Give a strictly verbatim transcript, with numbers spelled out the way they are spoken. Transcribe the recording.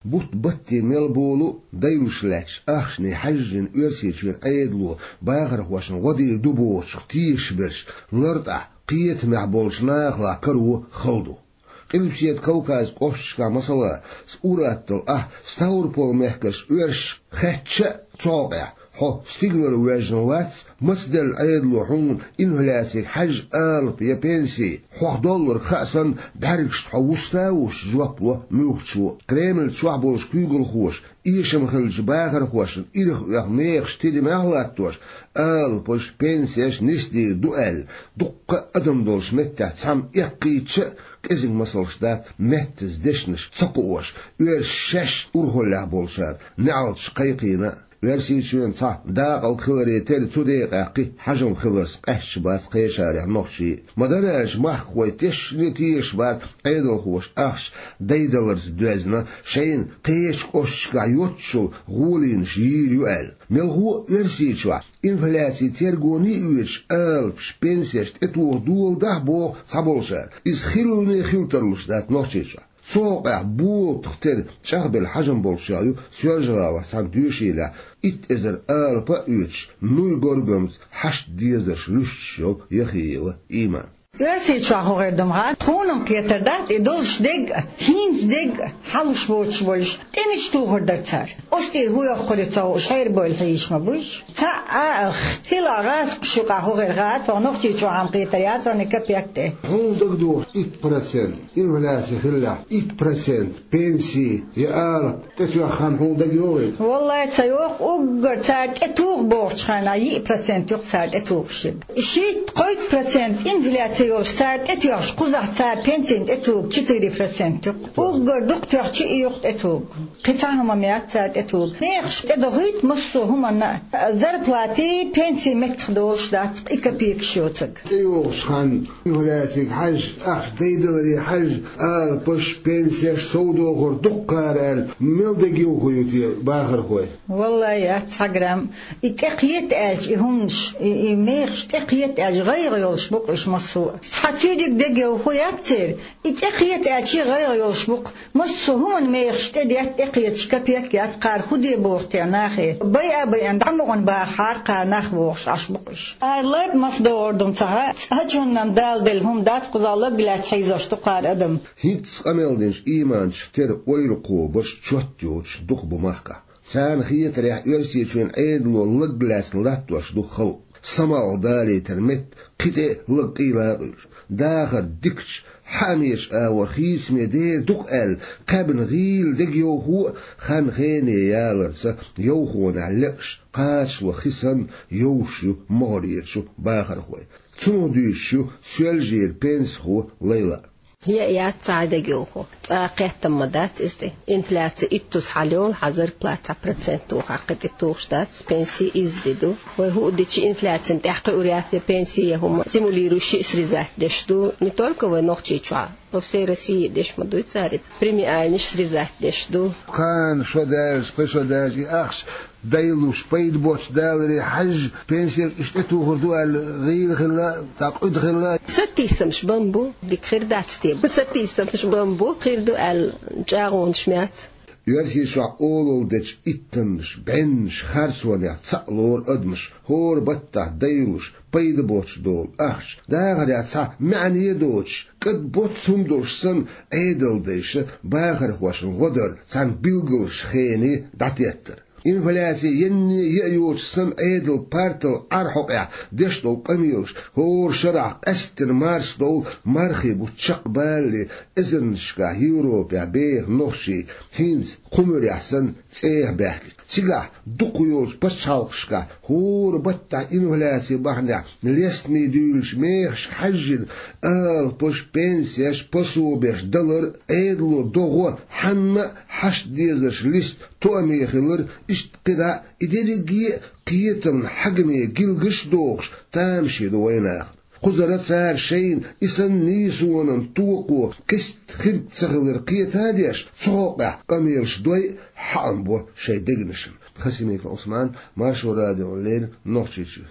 Бутт-батте мел болу а дайлуш лаьтташ ахчане хьаьжжина Оьрсийчоьнан Ӏедало бахархошна гӀо дийр ду бохучух тешаш берш лартӀахь кхетамехь болчу нахалахь каро хала ду. Къилбаседа Кавказан кӀошташкахь, масала, ур-атталла ахь Ставрополан мехкарчу оьрсашка хаьттича а, цу хьокъехь хьо стигалара воьжна вац, мацделла Ӏедало хьуна инфляцига хьаьжжина алапа я пенси, хьох долларг хаа санна, бӀаьргашца хьо вуста а вуссуш, жоп ло муьлххачо а. Кремль чохь болчу куьйгалхоша эшам хиллачу бахархошна ирх оьху мехаш тидамехь а латтош, алапаш, пенсеш нисдийр ду аьлла, дуккха а адам долчу меттехь цхьамма эккхийтича а, кӀезиг масалш дац, меттаза дешнаш ца кхоош, оьрсаша шаьш урхаллехь болчара неӀалташ кхайкхийна а. Оьрсийчоьнан цхьа дакъалг хиларе терра, цу декъехь кхин хьажам хиларца къаьсташ бац кхечарах нохчий а. Ма-дарра аьлча, махкахой тешне тешаш бац Ӏедалхоша ахча дайдаларца доьзна, шайна кхечу кӀошташкахь йоццушехь гӀоланаш йийр ю аьлла. Мелхо а Оьрсийчохь инфляци тергоне а оьцуш, алапаш, пенсеш тӀетоха доладахь, боху цхьаболчара, иза хилале хила тарлуш дац Нохчийчохь. Цу хьокъехь болатах тера чӀагӀбелла хьажам болчех ю Соьлжа-ГӀалахь цхьана доьшийлехь итт эзар алапа а оьцуш, нуй горгамца хьашт дезарш луьстуш йолу Яхиева Иман. Оьрсийчохь хӀун хир ду-м хьан, тхуна-м кхетар дац, и долуш дерг а, хӀинца дерг а хьалуш боцуш болуш, тӀе мича тухур дара цара? Оцу тӀера хӀун йоккхур ю ца хууш, хьерабевлла хьийзаш ма буй уьш? Цхьаъ а, хилахь гӀазкхаш юкъахь хӀун хир хаьа, цо нохчийчохь-м кхетар яц хьуна, и капек тӀе. Хьуна дагадогӀуш, итт процент инфляци хиллехь, итт процент пенси я алапа тӀетоьхна хан хьуна дагайогӀий? Валлай, ца йогӀу, уггар цара тӀетуху бохучу хенахь, йиъ процент ю-кх цара тӀетухуш ерг. Шийтта-кхойтта процент инфляци йолуш цара тӀетоьхча, кхузахь цара пенсина тӀетуху четыре процент ю-кх. Уггар дукха тоьхча а ю-кх тӀетуху. Кхин цхьа хӀума-м яц цара тӀетуху. Мехаш тӀедохуьйту массо а хӀуманна а, зарплати, пенси меттах долуш дац, и капекаш йоцург. ТӀейогӀучу ханна инфляцига хьаьжжина, ахча дайдаларе хьаьжжина, алапаш, пенсеш, сов дохор дукха кхара аьлла, мел дегайовхо ю те бахархой? Валлай, яц цхьа грамм. И тӀе кхета аьлча, и хӀуманаш, и, и мехаш тӀе кхета аьлча, гӀайгӀа йолуш бу-кх уьш массо а. Цхьа цуьнан дегайовхо яц церан, и тӀе кхета аьлча, гӀайгӀа йолуш бу-кх. Массо а хӀуманан мехаш тӀедетта, тӀекхеташ капек яц, кхара хӀун де боху те нахе? Байа а байина, дӀа мукъана бахахьара кхара нах бохуш Ӏаш бу-кх уьш. Ара ларда маса догӀур ду-м ца хаьа, цхьа чунна-м Дала делла хӀума дац, кхузахь лаг лаьцна хьийзош ду кхара адам. ХӀинцца къамел динчу Иманчух тера ойла кхобарш чот йоцуш дукха бу махкахь. Царна хетарехь, Оьрсийчоьнан Ӏедало лаг лаьцна латтош ду халкъ. Самалх далийтар метта кхин тӀе а лаг къийла а къуьйлуш. Дахар дикачу, хьаамечу агӀор хийцаме дер ду-кх аьлла, кхаьбна гӀийла дегайовхо а, хан-хене яларца йовхонехь лекъаш кхачало хи санна йовш ю могӀарерчу бахархой. Цунах дуьйцуш ю Соьлжера пенсихо Лайла. Яа яц цхьа а дегайовхо. Цкъа а кхеттам ма дац иза тӀе. Инфляци иттаза хьалайолу, хьан зарплатехь процент тухахь кхин тӀе тухуш дац, пенси изза де ду. Вай хӀуъа дичи инфляцина тӀехь кхуьур яц я пенси, я хӀума. Стимулирующий срезать деш ду. Не только вай Нохчийчохь, по всей России деш ма дуй цара иза. Премиальнаш срезать деш ду. Кхана шо даьлча, кхин шо даьлча, и ахча дайлуш, пайда боцуш даларе хьаьжжина, пенсеш иштта тӀетухур ду аьлла, гӀийла хилла, цхьа къуьда хилла. Сатийсамаш бан бу, дика хир дац те. Сатийсамаш бан бу, хир ду аьлла, чӀагӀонаш ма яц. Оьрсийчохь олалла дечу иттаннаш, бӀеннаш харцонехь цхьаъ лору адамаш, хӀора баттахь дайлуш, пайда боцуш долу ахча, дахарехь цхьа маьӀне а доцуш, кӀад боццу хӀума долуш санна, Ӏедалдайша бахархошна гӀо дар цхьана билгалчу хене дӀатеттар. Инфляци енне а йоцуш санна, Ӏедал партал Ӏар хьокъехь деш долу къамелаш, хӀора шарахь къаьсттина марсдовла мархи бутт чекхбалале, эзарнашкахь Европехь беха нохчий хӀинца кху муьрехь санна цӀехьа баьхкича, цигахь дукха йолчу пачхьалкхашкахь хӀора баттахь инфляци бахьанехь лестаме дуьйлучу мехашка хьаьжжина, алапаш, пенсеш, пособеш далар Ӏедало до гӀо, хьанна а хьашт дезарш листа тоаме хилар, иштта кхидӀа а и дерриге а кхетамна хьагаме гилгаш а дохуш, тамаше ду вайнахана. Кхузара цара шайна и санна нийсонан токхо кеста хирг ца хилар кхета а деш, цу хьокъехь къамелаш дой а, хьаам бо шайн дегнашна. Хасимиков Ӏусман, Маршо радиона леррина, Нохчийчуьра.